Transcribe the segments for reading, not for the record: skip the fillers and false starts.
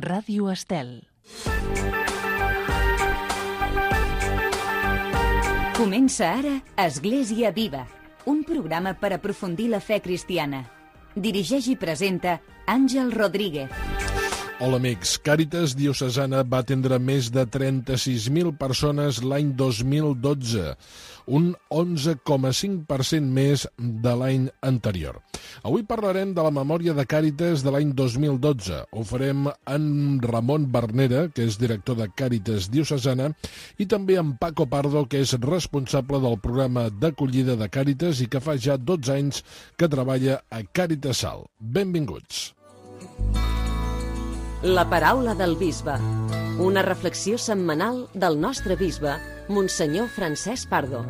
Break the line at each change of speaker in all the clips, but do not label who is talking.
Ràdio Estel.
Comença ara Església Viva, un programa per aprofundir la fe cristiana. Dirigeix i presenta Àngel Rodríguez.
Hola amics, Càritas Diocesana va atendre més de 36.000 persones l'any 2012, un 11,5% més de l'any anterior. Avui parlarem de la memòria de Càritas de l'any 2012. Ho farem amb Ramon Bernera, que és director de Càritas Diocesana, i també amb Paco Pardo, que és responsable del programa d'acollida de Càritas i que fa ja 12 anys que treballa a Càritas Salt. Benvinguts.
La paraula del bisbe. Una reflexió setmanal del nostre bisbe, Monsenyor Francesc Pardo.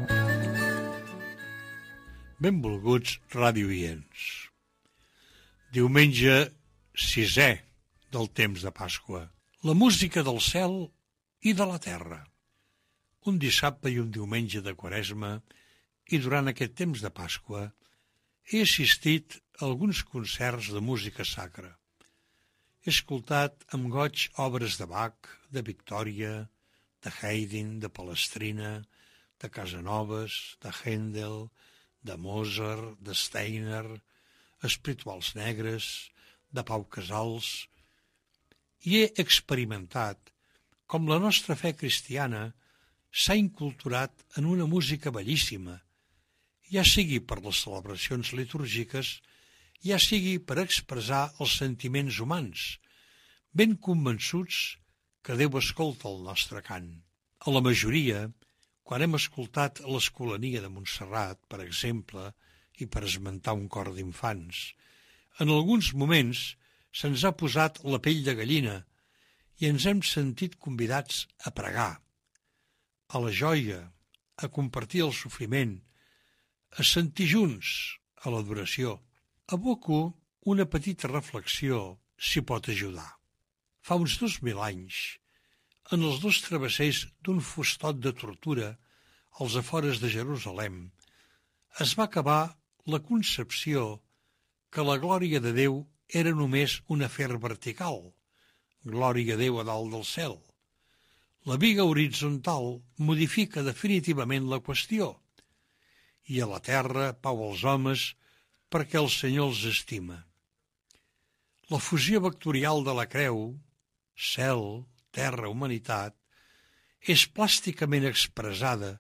Benvolguts radiooients. Diumenge 6è del temps de Pasqua. La música del cel i de la terra. Un dissabte i un diumenge de Quaresma i durant aquest temps de Pasqua he assistit a alguns concerts de música sacra. He escoltat amb goig obres de Bach, de Victòria, de Haydn, de Palestrina, de Casanovas, de Händel, de Mozart, de Steiner, espirituals negres, de Pau Casals, i he experimentat com la nostra fe cristiana s'ha inculturat en una música bellíssima, ja sigui per les celebracions litúrgiques, ja sigui per expressar els sentiments humans, ben convençuts que Déu escolta el nostre cant. A la majoria, quan hem escoltat l'Escolania de Montserrat, per exemple, i per esmentar un cor d'infants, en alguns moments se'ns ha posat la pell de gallina i ens hem sentit convidats a pregar, a la joia, a compartir el sofriment, a sentir junts a l'adoració. Aboco una petita reflexió si pot ajudar. Fa uns 2.000 anys, en els 2 travessers d'un fustot de tortura als afores de Jerusalem, es va acabar la concepció que la glòria de Déu era només un afer vertical, glòria a Déu a dalt del cel. La viga horitzontal modifica definitivament la qüestió, i a la terra pau als homes perquè el Senyor els estima. La fusió vectorial de la creu, cel, terra, humanitat, és plàsticament expressada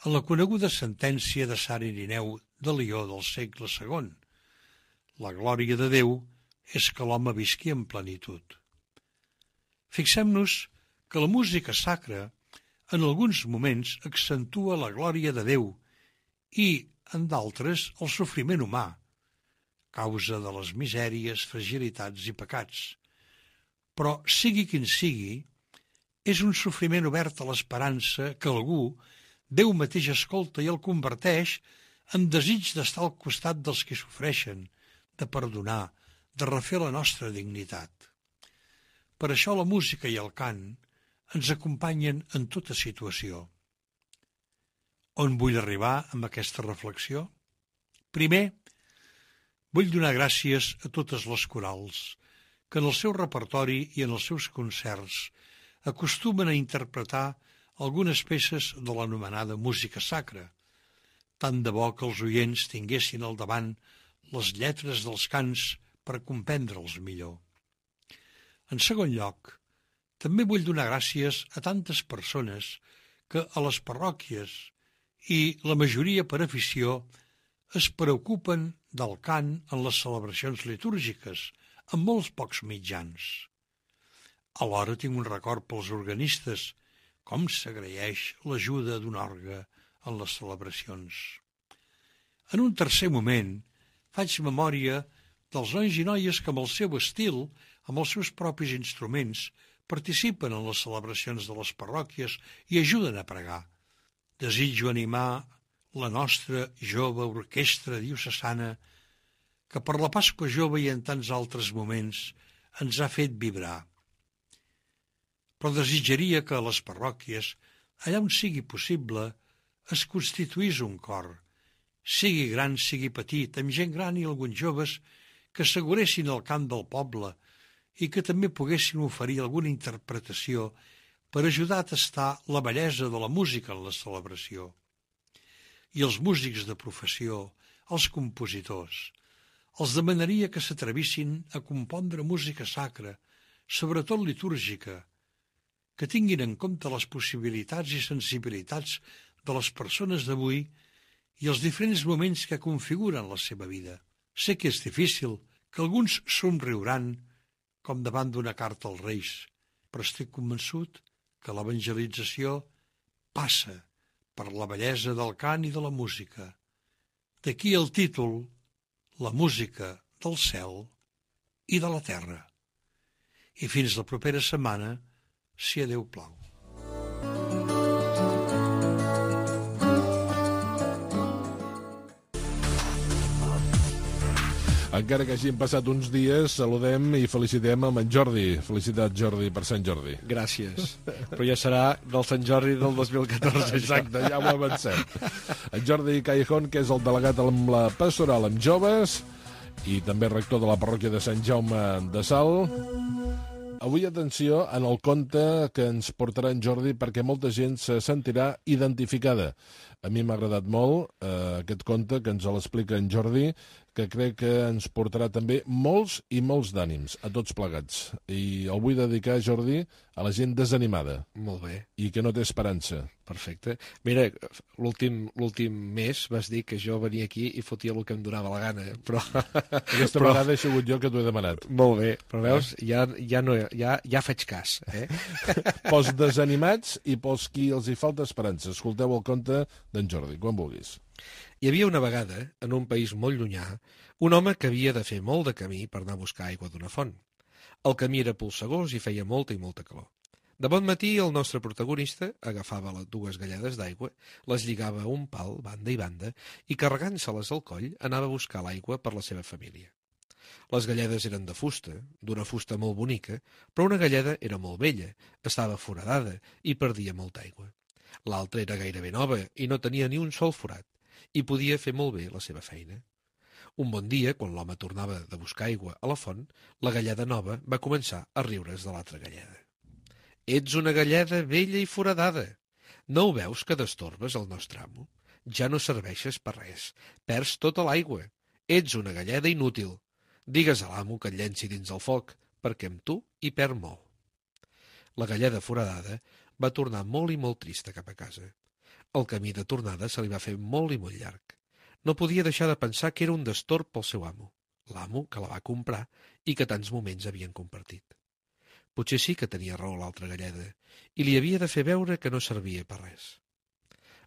en la coneguda sentència de Sant Irineu de Lió del segle II. La glòria de Déu és que l'home visqui en plenitud. Fixem-nos que la música sacra en alguns moments accentua la glòria de Déu i, en d'altres, el sofriment humà, causa de les misèries, fragilitats i pecats. Però, sigui quin sigui, és un sofriment obert a l'esperança que algú, Déu mateix escolta i el converteix en desig d'estar al costat dels que sofreixen, de perdonar, de refer la nostra dignitat. Per això la música i el cant ens acompanyen en tota situació. On vull arribar amb aquesta reflexió? Primer, vull donar gràcies a totes les corals que en el seu repertori i en els seus concerts acostumen a interpretar algunes peces de l'anomenada música sacra. Tant de bo que els oients tinguessin al davant les lletres dels cants per comprendre'ls millor. En segon lloc, també vull donar gràcies a tantes persones que a les parròquies i la majoria per afició es preocupen del cant en les celebracions litúrgiques, amb molts pocs mitjans. Alhora tinc un record pels organistes, com s'agraeix l'ajuda d'un orgue en les celebracions. En un tercer moment, faig memòria dels nois i noies que amb el seu estil, amb els seus propis instruments, participen en les celebracions de les parròquies i ajuden a pregar. Desitjo animar la nostra jove orquestra diocesana que per la Pasqua Jove i en tants altres moments ens ha fet vibrar. Però desitjaria que a les parròquies, allà on sigui possible, es constituís un cor, sigui gran, sigui petit, amb gent gran i alguns joves, que asseguressin el cant del poble i que també poguessin oferir alguna interpretació per ajudar a tastar la bellesa de la música en la celebració. I els músics de professió, els compositors, els demanaria que s'atrevissin a compondre música sacra, sobretot litúrgica, que tinguin en compte les possibilitats i sensibilitats de les persones d'avui i els diferents moments que configuren la seva vida. Sé que és difícil, que alguns somriuran com davant d'una carta als Reis, però estic convençut que l'evangelització passa per la bellesa del cant i de la música. D'aquí el títol, la música del cel i de la terra. I fins la propera setmana, si a Déu plau.
Encara que hagin passat uns dies, saludem i felicitem amb en Jordi. Felicitats, Jordi, per Sant Jordi.
Gràcies. Però ja serà del Sant Jordi del 2014.
Exacte, ja ho avancem. En Jordi Callejón, que és el delegat amb la pastoral amb joves i també rector de la parròquia de Sant Jaume de Salt. Avui, atenció, en el conte que ens portarà en Jordi, perquè molta gent se sentirà identificada. A mi m'ha agradat molt aquest conte que ens l'explica en Jordi, que crec que ens portarà també molts i molts d'ànims a tots plegats. I el vull dedicar, Jordi, a la gent desanimada.
Molt bé.
I que no té esperança.
Perfecte. Mira, l'últim mes vas dir que jo venia aquí i fotia el que em donava la gana, però...
Aquesta vegada he sigut jo que t'ho he demanat.
Molt bé, però veus, ja faig cas.
Pels desanimats i pels qui els hi falta esperança. Escolteu el conte d'en Jordi, quan vulguis.
Hi havia una vegada, en un país molt llunyà, un home que havia de fer molt de camí per anar a buscar aigua d'una font. El camí era polsegós i feia molta i molta calor. De bon matí, el nostre protagonista agafava les 2 galledes d'aigua, les lligava a un pal, banda i banda, i carregant-se-les al coll, anava a buscar l'aigua per la seva família. Les galledes eren de fusta, d'una fusta molt bonica, però una galleda era molt vella, estava foradada i perdia molta aigua. L'altra era gairebé nova i no tenia ni un sol forat, i podia fer molt bé la seva feina. Un bon dia, quan l'home tornava de buscar aigua a la font, la galleda nova va començar a riure's de l'altra galleda. «Ets una galleda vella i foradada. No ho veus que destorbes el nostre amo? Ja no serveixes per res. Perds tota l'aigua. Ets una galleda inútil. Digues a l'amo que et llenci dins el foc, perquè amb tu hi perd molt». La galleda foradada va tornar molt i molt trista cap a casa. El camí de tornada se li va fer molt i molt llarg. No podia deixar de pensar que era un destorb pel seu amo, l'amo que la va comprar i que tants moments havien compartit. Potser sí que tenia raó l'altra galleda, i li havia de fer veure que no servia per res.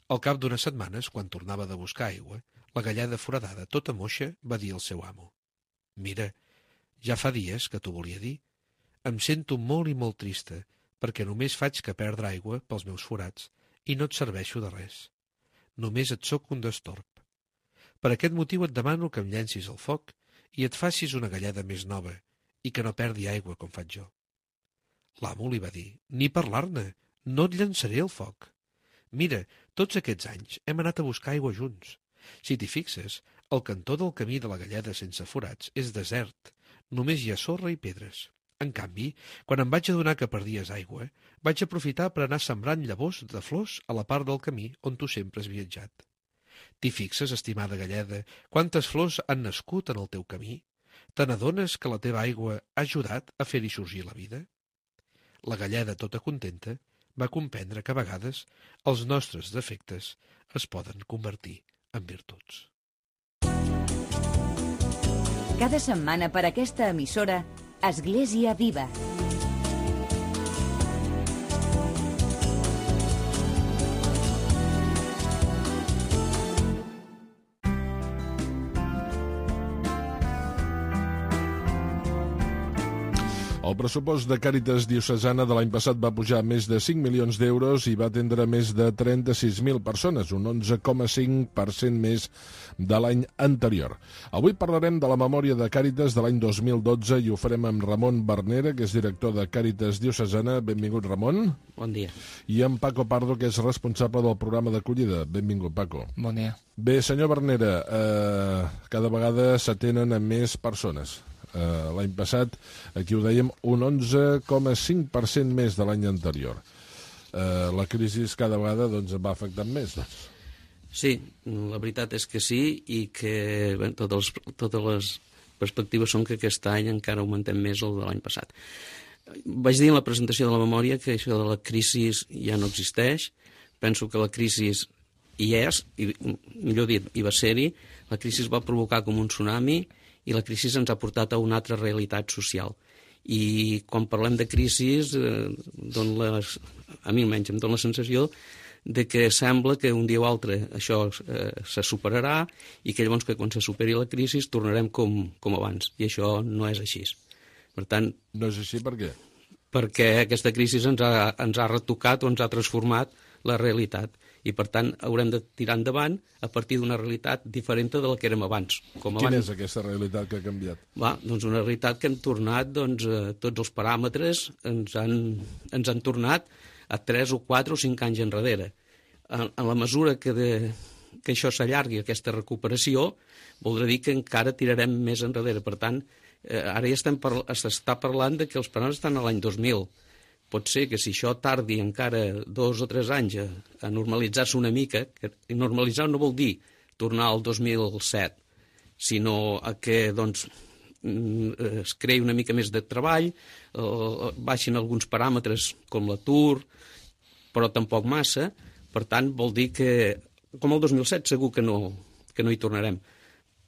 Al cap d'unes setmanes, quan tornava de buscar aigua, la galleda foradada, tota moixa, va dir al seu amo: «Mira, ja fa dies que t'ho volia dir. Em sento molt i molt trista, perquè només faig que perdre aigua pels meus forats i no et serveixo de res. Només et sóc un destorb. Per aquest motiu et demano que em llencis al foc i et facis una galleda més nova i que no perdi aigua com faig jo». L'amo li va dir: «Ni parlar-ne, no et llançaré al foc. Mira, tots aquests anys hem anat a buscar aigua junts. Si t'hi fixes, el cantó del camí de la galleda sense forats és desert, només hi ha sorra i pedres. En canvi, quan em vaig adonar que perdies aigua, vaig aprofitar per anar sembrant llavors de flors a la part del camí on tu sempre has viatjat. T'hi fixes, estimada galleda, quantes flors han nascut en el teu camí? Te n'adones que la teva aigua ha ajudat a fer-hi sorgir la vida?» La galleda, tota contenta, va comprendre que a vegades els nostres defectes es poden convertir en virtuts.
Cada setmana per aquesta emissora, Església Viva.
El pressupost de Càritas Diocesana de l'any passat va pujar a més de 5 milions d'euros i va atendre més de 36.000 persones, un 11,5% més de l'any anterior. Avui parlarem de la memòria de Càritas de l'any 2012 i ho farem amb Ramon Bernera, que és director de Càritas Diocesana. Benvingut, Ramon.
Bon dia.
I en Paco Pardo, que és responsable del programa d'acollida. Benvingut, Paco.
Bon dia.
Bé, senyor Bernera, cada vegada s'atenen a més persones L'any passat, aquí ho dèiem, un 11,5% més de l'any anterior. La crisi cada vegada doncs, va afectant més, doncs.
Sí, la veritat és que sí, i que bé, totes les perspectives són que aquest any encara augmentem més el de l'any passat. Vaig dir en la presentació de la memòria que això de la crisi ja no existeix. Penso que la crisi hi és, i, millor dit, hi va ser-hi. La crisi va provocar com un tsunami i la crisi ens ha portat a una altra realitat social. I quan parlem de crisi, a mi almenys em dóna la sensació de que sembla que un dia o altre això se superarà i que llavors que quan se superi la crisi tornarem com abans. I això no és així. Per tant...
No és així per què?
Perquè aquesta crisi ens ha retocat o ens ha transformat la realitat. I, per tant, haurem de tirar endavant a partir d'una realitat diferent de la que érem abans.
Quina és aquesta realitat que ha canviat?
Doncs una realitat que hem tornat, tots els paràmetres ens han tornat a 3 o 4 o 5 anys enrere. En la mesura que això s'allargui, aquesta recuperació, voldrà dir que encara tirarem més enrere. Per tant, ara ja s'està parlant de que els paràmetres estan a l'any 2000. Pot ser que si això tardi encara 2 o 3 anys a normalitzar-se una mica, i normalitzar no vol dir tornar al 2007, sinó a que es creï una mica més de treball, baixin alguns paràmetres com l'atur, però tampoc massa. Per tant, vol dir que, com el 2007, segur que no hi tornarem.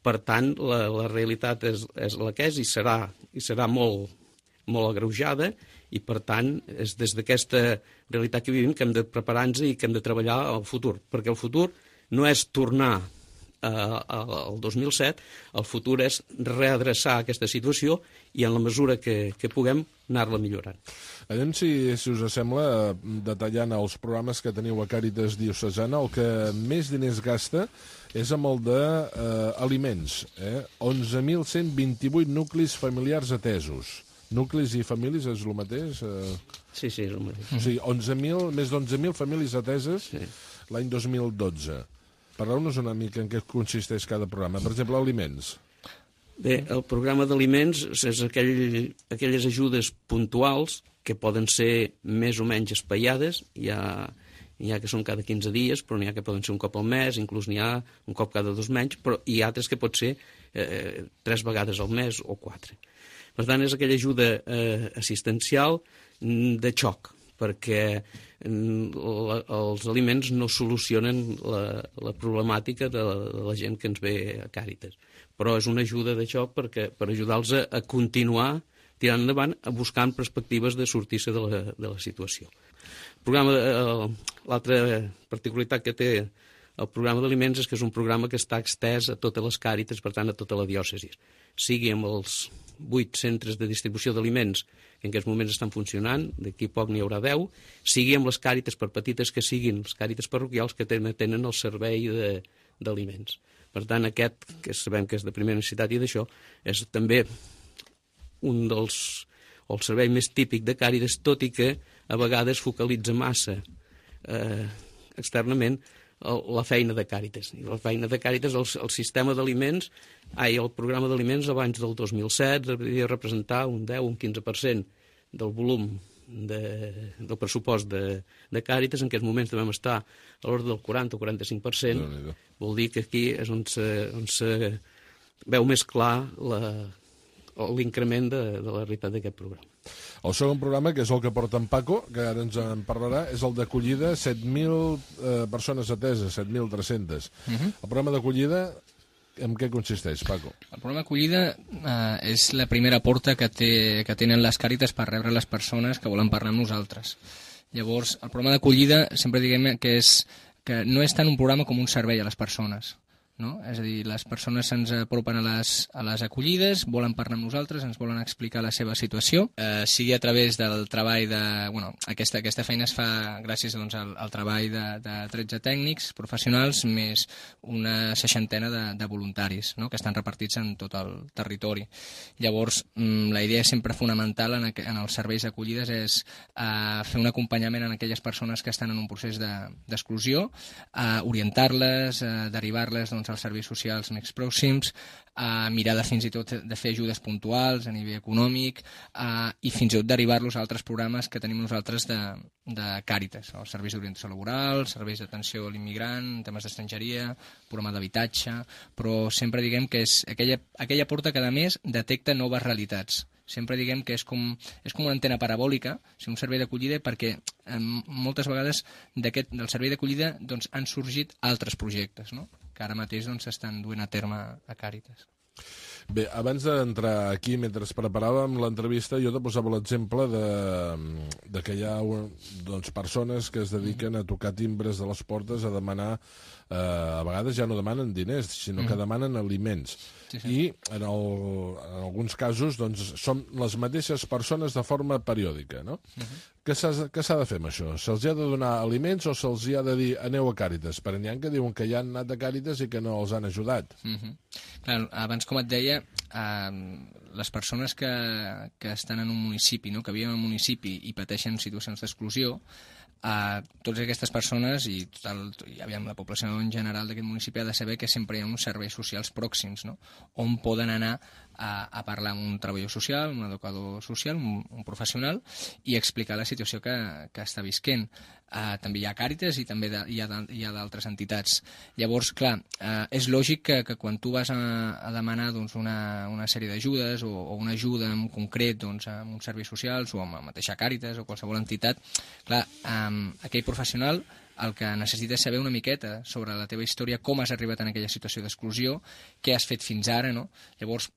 Per tant, la realitat és la que és i serà molt, molt agreujada, i, per tant, és des d'aquesta realitat que vivim que hem de preparar-nos i que hem de treballar al futur. Perquè el futur no és tornar al 2007, el futur és readreçar aquesta situació i, en la mesura que puguem, anar-la millorant.
Anem, si us sembla, detallant els programes que teniu a Càritas Diocesana, el que més diners gasta és amb el d'aliments. 11.128 nuclis familiars atesos. Nuclis i famílies és el mateix?
Sí, és el mateix.
O sigui, més d'11.000 famílies ateses l'any 2012. Parleu-nos una mica en què consisteix cada programa. Per exemple, aliments.
Bé, el programa d'aliments és aquelles ajudes puntuals que poden ser més o menys espaiades. Hi ha que són cada 15 dies, però n'hi ha que poden ser un cop al mes, inclús n'hi ha un cop cada 2 menys, però hi ha altres que pot ser 3 vegades al mes o 4. Per tant, és aquella ajuda assistencial de xoc, perquè els aliments no solucionen la problemàtica de la gent que ens ve a Càritas. Però és una ajuda de xoc per ajudar-los a continuar tirant endavant, buscant perspectives de sortir-se de la situació. L'altra particularitat que té el programa d'aliments és que és un programa que està extès a totes les Càritas, per tant, a tota la diòcesi. Sigui amb els 8 centres de distribució d'aliments que en aquests moments estan funcionant, d'aquí poc n'hi haurà 10, sigui amb les Càritas, per petites que siguin, les Càritas parroquials que tenen el servei d'aliments. Per tant, aquest, que sabem que és de primera necessitat i d'això, és també el servei més típic de Càritas, tot i que a vegades focalitza massa externament la feina de Càritas. I la feina de Càritas, el sistema d'aliments, el programa d'aliments abans del 2007 devia representar un 10 o un 15% del volum del pressupost de Càritas. En aquests moments devem estar a l'ordre del 40 o 45%. Vol dir que aquí és on se veu més clar l'increment de la realitat d'aquest programa.
El segon programa, que és el que porta en Paco, que ara ens en parlarà, és el d'acollida, 7.000 persones ateses, 7.300. El programa d'acollida, en què consisteix, Paco?
El programa d'acollida és la primera porta que tenen les Càritas per rebre les persones que volen parlar amb nosaltres. Llavors, el programa d'acollida sempre diguem que no és tant un programa com un servei a les persones. No? És a dir, les persones se'ns apropen a les acollides, volen parlar amb nosaltres, ens volen explicar la seva situació, sigui a través del treball de... Bueno, aquesta feina es fa gràcies al treball de 13 tècnics professionals més una 60 de voluntaris, no? Que estan repartits en tot el territori. Llavors, la idea sempre fonamental en els serveis d'acollides és fer un acompanyament a aquelles persones que estan en un procés d'exclusió, orientar-les, derivar-les doncs, als serveis socials més pròxims, mirar fins i tot de fer ajudes puntuals a nivell econòmic i fins i tot derivar-los a altres programes que tenim nosaltres de Càritas, els serveis d'orientació laboral, serveis d'atenció a l'immigrant, temes d'estrangeria, programa d'habitatge, però sempre diguem que és aquella porta que a més detecta noves realitats. Sempre diguem que és com una antena parabòlica, un servei d'acollida, perquè moltes vegades del servei d'acollida doncs, han sorgit altres projectes, no? Que ara mateix s'estan duent a terme a Càritas.
Bé, abans d'entrar aquí, mentre preparàvem l'entrevista, jo te posava l'exemple de que hi ha persones que es dediquen a tocar timbres de les portes, a demanar, a vegades ja no demanen diners, sinó que demanen aliments. Sí. I en alguns casos són les mateixes persones de forma periòdica, no? Què s'ha de fer amb això? Se'ls ha de donar aliments o se'ls ha de dir aneu a Càritas? Perquè n'hi ha que diuen que ja han anat a Càritas i que no els han ajudat.
Clar, abans, com et deia, les persones que estan en un municipi, no? Que viuen en un municipi i pateixen situacions d'exclusió, totes aquestes persones i la població en general d'aquest municipi ha de saber que sempre hi ha uns serveis socials pròxims, no? On poden anar a parlar amb un treballador social, un educador social, un professional, i explicar la situació que està visquent. També hi ha Càritas i també hi ha d'altres entitats. Llavors, clar, és lògic que quan tu vas a demanar una sèrie d'ajudes o una ajuda en concret amb uns serveis socials o amb la mateixa Càritas o qualsevol entitat, clar, aquell professional el que necessita és saber una miqueta sobre la teva història, com has arribat en aquella situació d'exclusió, què has fet fins ara, no? Llavors,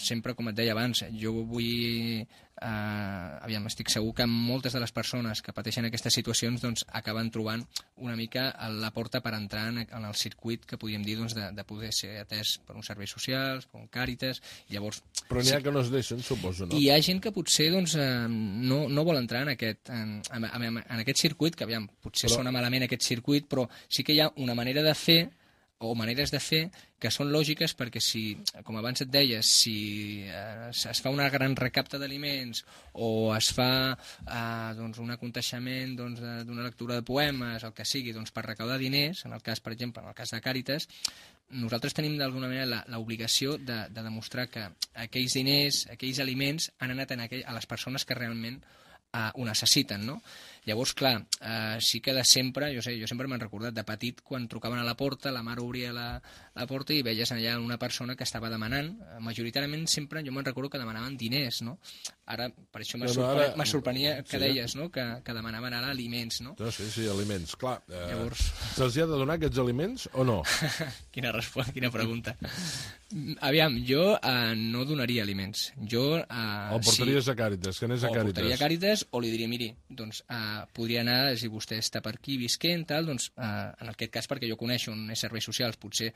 sempre, com et deia abans, jo vull... estic segur que moltes de les persones que pateixen aquestes situacions acaben trobant una mica la porta per entrar en el circuit que podríem dir de poder ser atès per uns serveis socials, per un Càritas, i llavors...
Però n'hi ha que no es deixen, suposo, no?
I hi ha gent que potser no vol entrar en aquest circuit, que potser sona malament aquest circuit, però sí que hi ha una manera de fer o maneres de fer que són lògiques, perquè si, com abans et deia, si es fa una gran recapta d'aliments o es fa un aconteixement d'una lectura de poemes, el que sigui, per recaudar diners, en el cas, per exemple, en el cas de Càritas, nosaltres tenim d'alguna manera l'obligació de demostrar que aquells diners, aquells aliments han anat a les persones que realment ho necessiten, no? Llavors, clar, sí que de sempre, jo sempre m'han recordat de petit, quan trucaven a la porta, la mare obria la porta i veies allà una persona que estava demanant, majoritàriament sempre jo me'n recordo que demanaven diners, no? Ara, per això me sorprenia que deies, no? Que demanaven ara aliments, no?
Sí, aliments, clar.
Llavors...
Se'ls ha de donar aquests aliments o no?
Quina pregunta. Aviam, jo no donaria aliments. Jo...
El portaries a Càritas, que anés a Càritas.
O portaria a Càritas, o li diria, miri, doncs podria anar, si vostè està per aquí visquent, tal, doncs en aquest cas, perquè jo coneixo on és serveis socials, potser,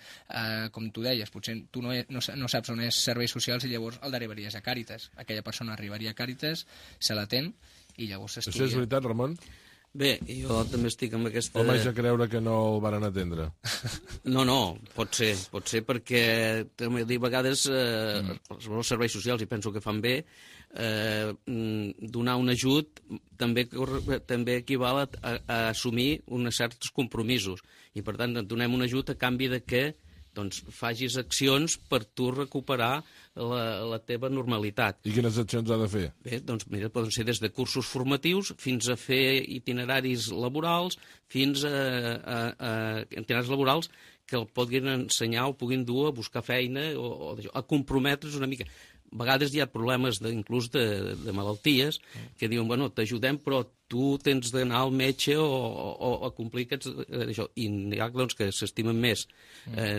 com tu deies, potser tu no saps on és serveis socials i llavors el derivaries a Càritas. Aquella persona arribaria a Càritas, se l'atén i llavors s'estudia.
Això és veritat, Ramon?
Bé, jo també estic amb aquesta...
O vaig a creure que no el van atendre?
No, pot ser perquè a vegades els serveis socials, i penso que fan bé, donar un ajut també equival a assumir uns certs compromisos, i per tant donem un ajut a canvi de que facis accions per tu recuperar la teva normalitat.
I quines accions ha de fer?
Bé, mira, poden ser des de cursos formatius fins a fer itineraris laborals, fins a itineraris laborals que el puguin ensenyar o puguin dur a buscar feina o a comprometre's una mica. A vegades hi ha problemes inclús de malalties que diuen, bueno, t'ajudem, però tu tens d'anar al metge o complir això. I hi ha que s'estimen més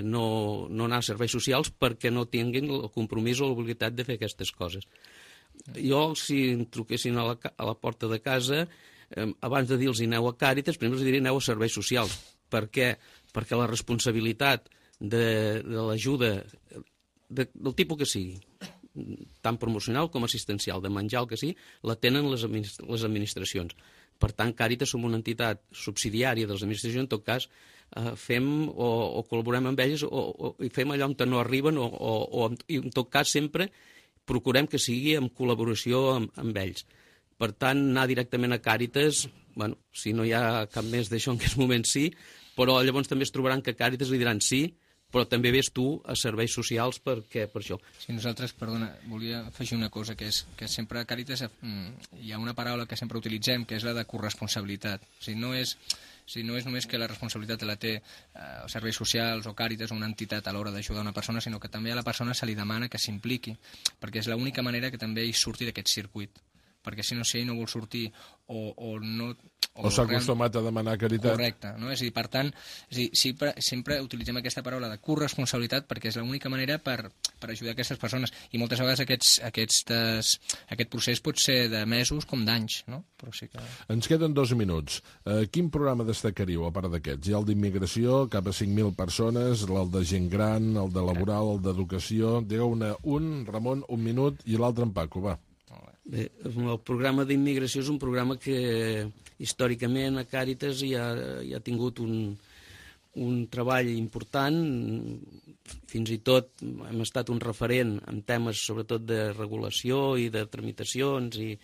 no anar a serveis socials perquè no tinguin el compromís o l'obligació de fer aquestes coses. Jo, si em truquessin a la porta de casa, abans de dir-los aneu a Càritas, primer els diria aneu a serveis socials. Per què? Perquè la responsabilitat de l'ajuda del tipus que sigui, tant promocional com assistencial, de menjar el que sigui, la tenen les administracions. Per tant, Càritas som una entitat subsidiària de les administracions, en tot cas, fem o col·laborem amb elles i fem allò on no arriben o en tot cas sempre procurem que sigui en col·laboració amb ells. Per tant, anar directament a Càritas, bueno, si no hi ha cap més d'això en aquest moment sí, però llavors també es trobaran que Càritas li diran sí, però també ves tu a serveis socials per això.
Sí, nosaltres, perdona, volia afegir una cosa, que és que sempre a Càritas hi ha una paraula que sempre utilitzem, que és la de corresponsabilitat. O sigui, no és només que la responsabilitat la té serveis socials o Càritas o una entitat a l'hora d'ajudar una persona, sinó que també a la persona se li demana que s'impliqui, perquè és l'única manera que també ell surti d'aquest circuit. Perquè si ell no vol sortir o no...
O s'ha acostumat a demanar caritat.
Correcte, no? És a dir, per tant, sempre utilitzem aquesta paraula de corresponsabilitat perquè és l'única manera per ajudar aquestes persones. I moltes vegades aquest procés pot ser de mesos com d'anys, no? Però sí que...
Ens queden 2 minuts. Quin programa destacaríeu, a part d'aquests? Hi ha el d'immigració, cap a 5.000 persones, el de gent gran, el de laboral, el d'educació... Digueu-ne un, Ramon, 1 minut, i l'altre en Paco, va.
Bé, el programa d'immigració és un programa que històricament a Càritas ja ha tingut un treball important, fins i tot hem estat un referent en temes sobretot de regulació i de tramitacions i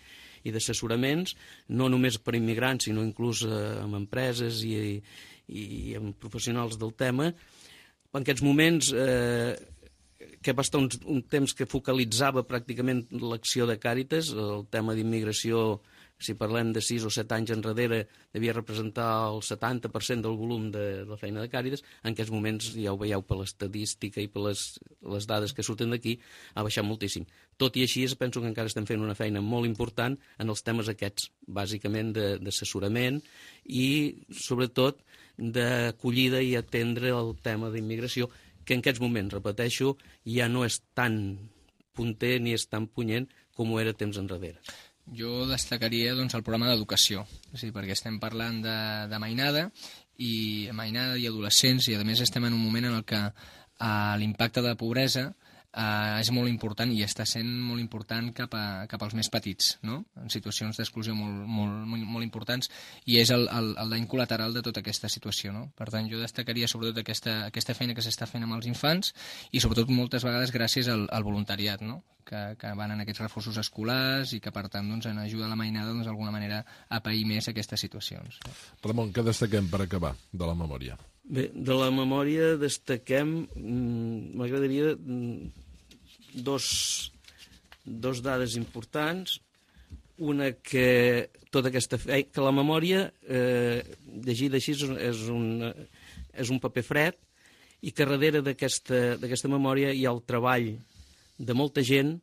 d'assessoraments, no només per immigrants, sinó inclús amb empreses i amb professionals del tema. En aquests moments que va estar un temps que focalitzava pràcticament l'acció de Càritas, el tema d'immigració, si parlem de 6 o 7 anys enrere, devia representar el 70% del volum de la feina de Càritas. En aquests moments, ja ho veieu per l'estadística i per les dades que surten d'aquí, ha baixat moltíssim. Tot i així, penso que encara estem fent una feina molt important en els temes aquests, bàsicament d'assessorament i, sobretot, d'acollida i atendre el tema d'immigració, que en aquests moments, repeteixo, ja no és tan punter ni és tan punyent com ho era temps enrere.
Jo destacaria doncs, el programa d'educació, perquè estem parlant de mainada i adolescents, i a més estem en un moment en què l'impacte de pobresa és molt important i està sent molt important cap als més petits, no? En situacions d'exclusió molt importants, i és el dany col·lateral de tota aquesta situació, no? Per tant, jo destacaria sobretot aquesta feina que s'està fent amb els infants i sobretot moltes vegades gràcies al voluntariat, no? Que van en aquests reforços escolars i que per tant doncs, en ajuda a la mainada d'alguna manera a pair més aquestes situacions.
Ramon, què destaquem per acabar de la memòria?
Bé, de la memòria destaquem, m'agradaria dos dades importants. Una, que tota aquesta feina, que la memòria, llegida així, és un paper fred, i que darrere d'aquesta memòria hi ha el treball de molta gent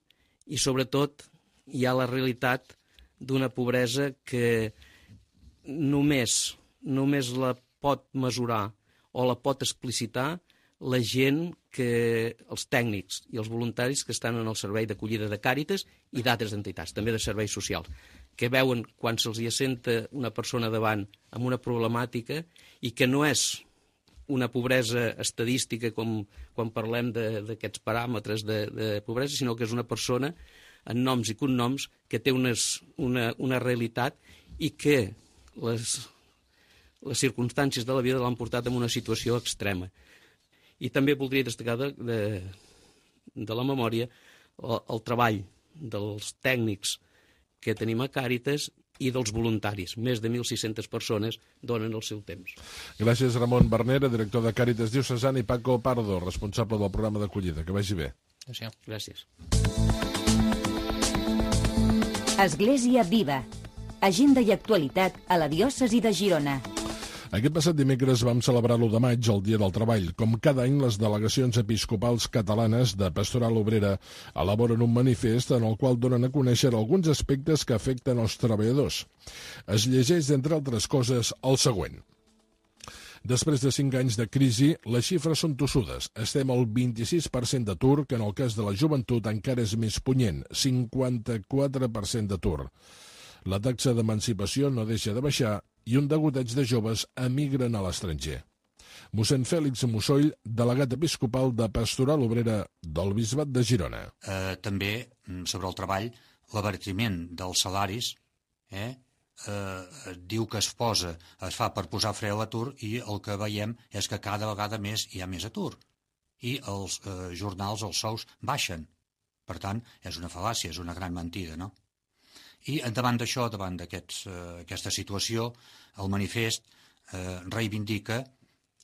i, sobretot, hi ha la realitat d'una pobresa que només la pot mesurar o la pot explicitar la gent, els tècnics i els voluntaris que estan en el servei d'acollida de Càritas i d'altres entitats, també de serveis socials, que veuen quan se'ls hi assenta una persona davant amb una problemàtica i que no és una pobresa estadística com quan parlem d'aquests paràmetres de pobresa, sinó que és una persona amb noms i cognoms que té una realitat i que les circumstàncies de la vida l'han portat en una situació extrema. I també voldria destacar de la memòria el treball dels tècnics que tenim a Càritas i dels voluntaris. Més de 1.600 persones donen el seu temps.
Gràcies, Ramon Bernera, director de Càritas Diocesana, i Paco Pardo, responsable del programa d'acollida. Que vagi bé.
Gràcies.
Església Viva. Agenda i actualitat a la diòcesi de Girona.
Aquest passat dimecres vam celebrar l'1 de maig, el Dia del Treball. Com cada any, les delegacions episcopals catalanes de Pastoral Obrera elaboren un manifest en el qual donen a conèixer alguns aspectes que afecten els treballadors. Es llegeix, entre altres coses, el següent. Després de 5 anys de crisi, les xifres són tossudes. Estem al 26% d'atur, que en el cas de la joventut encara és més punyent, 54% d'atur. La taxa d'emancipació no deixa de baixar i un degoteig de joves emigren a l'estranger. Mossèn Fèlix Mussoll, delegat episcopal de Pastoral Obrera del Bisbat de Girona.
També, sobre el treball, l'abaratiment dels salaris diu que es fa per posar fre a l'atur, i el que veiem és que cada vegada més hi ha més atur. I els jornals, els sous, baixen. Per tant, és una fal·làcia, és una gran mentida, no? I davant d'això, davant d'aquesta situació, el manifest reivindica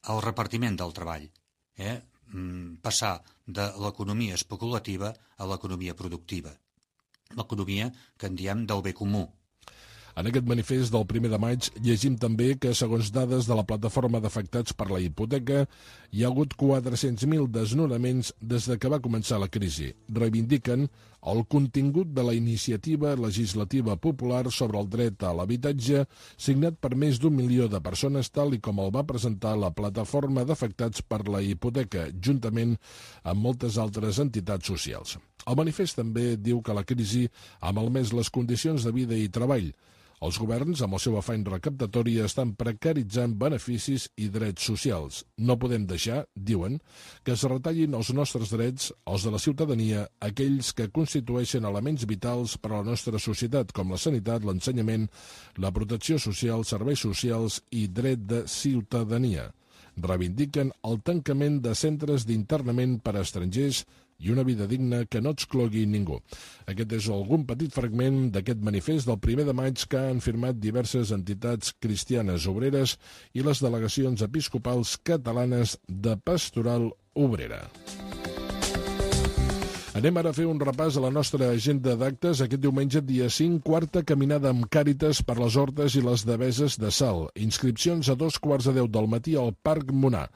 el repartiment del treball. passar de l'economia especulativa a l'economia productiva. L'economia que en diem del bé comú.
En aquest manifest del 1 de maig llegim també que, segons dades de la plataforma d'afectats per la hipoteca, hi ha hagut 400.000 desnonaments des de que va començar la crisi. Reivindiquen el contingut de la iniciativa legislativa popular sobre el dret a l'habitatge, signat per més d'1 milió de persones, tal i com el va presentar la plataforma d'afectats per la hipoteca, juntament amb moltes altres entitats socials. El manifest també diu que la crisi ha malmès les condicions de vida i treball. Els governs, amb el seu afany recaptatori, estan precaritzant beneficis i drets socials. No podem deixar, diuen, que es retallin els nostres drets, els de la ciutadania, aquells que constitueixen elements vitals per a la nostra societat, com la sanitat, l'ensenyament, la protecció social, serveis socials i dret de ciutadania. Reivindiquen el tancament de centres d'internament per a estrangers i una vida digna que no exclogui ningú. Aquest és algun petit fragment d'aquest manifest del 1 de maig que han firmat diverses entitats cristianes obreres i les delegacions episcopals catalanes de Pastoral Obrera. Anem ara a fer un repàs a la nostra agenda d'actes. Aquest diumenge, dia 5, quarta caminada amb Càritas per les Hortes i les Deveses de Salt. Inscripcions a 2:15 del matí al Parc Monar.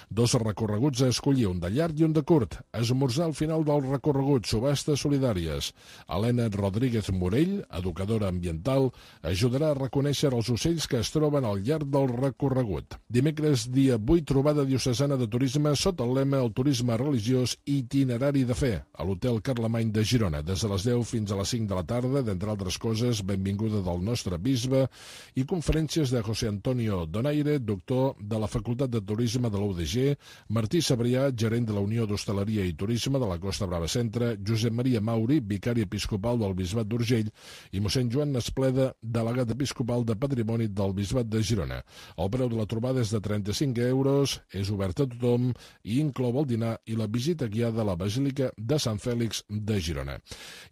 2 recorreguts a escollir, un de llarg i un de curt. Esmorzar al final del recorregut, subhastes solidàries. Helena Rodríguez Morell, educadora ambiental, ajudarà a reconèixer els ocells que es troben al llarg del recorregut. Dimecres, dia 8, trobada diocesana de turisme sota el lema El turisme religiós itinerari de fe, a l'Hotel Carlemany de Girona, des de les 10 fins a les 5 de la tarda, d'entre altres coses, benvinguda del nostre bisbe i conferències de José Antonio Donaire, doctor de la Facultat de Turisme de la UDG, Martí Sabrià, gerent de la Unió d'Hostaleria i Turisme de la Costa Brava Centre, Josep Maria Mauri, vicari episcopal del Bisbat d'Urgell, i mossèn Joan Nespleda, delegat episcopal de Patrimoni del Bisbat de Girona. El preu de la trobada és de 35 euros, és obert a tothom i inclou el dinar i la visita guiada a la Basílica de Sant Fèlix de Girona.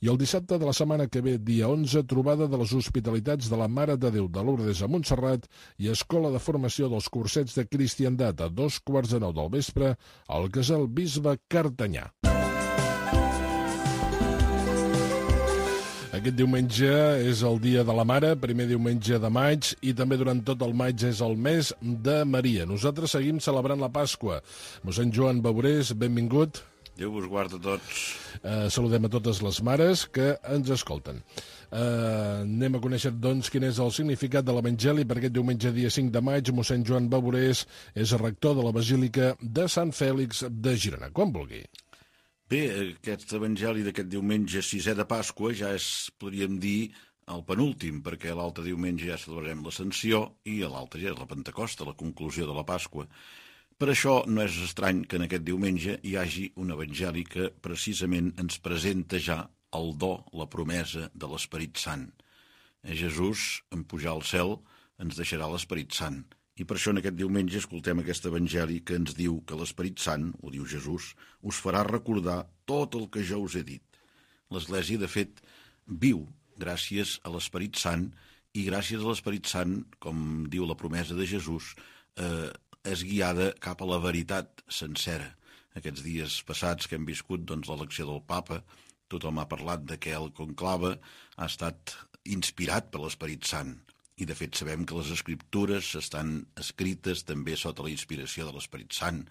I el dissabte de la setmana que ve, dia 11, trobada de les Hospitalitats de la Mare de Déu de Lourdes a Montserrat i Escola de Formació dels Cursets de Cristiandat a 2:15 del vespre al Casal Bisbe Cartanyà. Aquest diumenge és el Dia de la Mare, primer diumenge de maig, i també durant tot el maig és el mes de Maria. Nosaltres seguim celebrant la Pasqua. Mossèn Joan Baurés, benvingut.
Déu vos guarda a tots.
Saludem a totes les mares que ens escolten. Anem a conèixer, doncs, quin és el significat de l'Evangeli per aquest diumenge, dia 5 de maig. Mossèn Joan Baurés és rector de la Basílica de Sant Fèlix de Girona. Quan vulgui.
Bé, aquest Evangeli d'aquest diumenge 6è de Pasqua ja és, podríem dir, el penúltim, perquè l'altre diumenge ja celebrarem l'Ascensió i l'altre ja és la Pentecosta, la conclusió de la Pasqua. Per això no és estrany que en aquest diumenge hi hagi un evangeli que precisament ens presenta ja el do, la promesa de l'Esperit Sant. Jesús, en pujar al cel, ens deixarà l'Esperit Sant. I per això en aquest diumenge escoltem aquest evangeli que ens diu que l'Esperit Sant, ho diu Jesús, us farà recordar tot el que jo us he dit. L'Església, de fet, viu gràcies a l'Esperit Sant i gràcies a l'Esperit Sant, com diu la promesa de Jesús, és guiada cap a la veritat sencera. Aquests dies passats que hem viscut l'elecció del papa, tothom ha parlat de que el conclave ha estat inspirat per l'Esperit Sant. I de fet sabem que les escriptures estan escrites també sota la inspiració de l'Esperit Sant.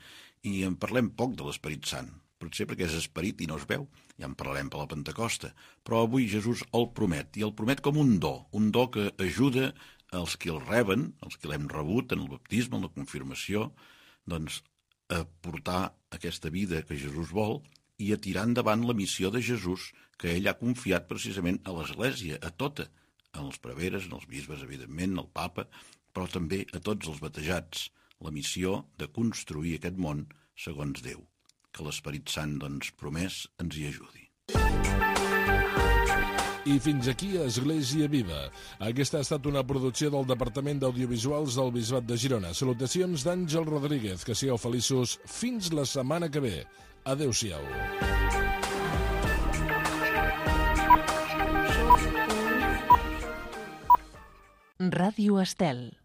I en parlem poc de l'Esperit Sant, potser perquè és esperit i no es veu, ja en parlarem per la Pentecosta. Però avui Jesús el promet, i el promet com un do que ajuda els que el reben, els que l'hem rebut en el baptisme, en la confirmació, doncs a portar aquesta vida que Jesús vol i a tirar endavant la missió de Jesús que ell ha confiat precisament a l'Església, a tota, en els preveres, en els bisbes, evidentment, al papa, però també a tots els batejats, la missió de construir aquest món segons Déu. Que l'Esperit Sant, doncs, promès, ens hi ajudi.
I fins aquí Església Viva. Aquesta ha estat una producció del Departament d'Audiovisuals del Bisbat de Girona. Salutacions d'Àngel Rodríguez. Que sigueu feliços fins la setmana que ve. Adéu-siau.
Ràdio Estel.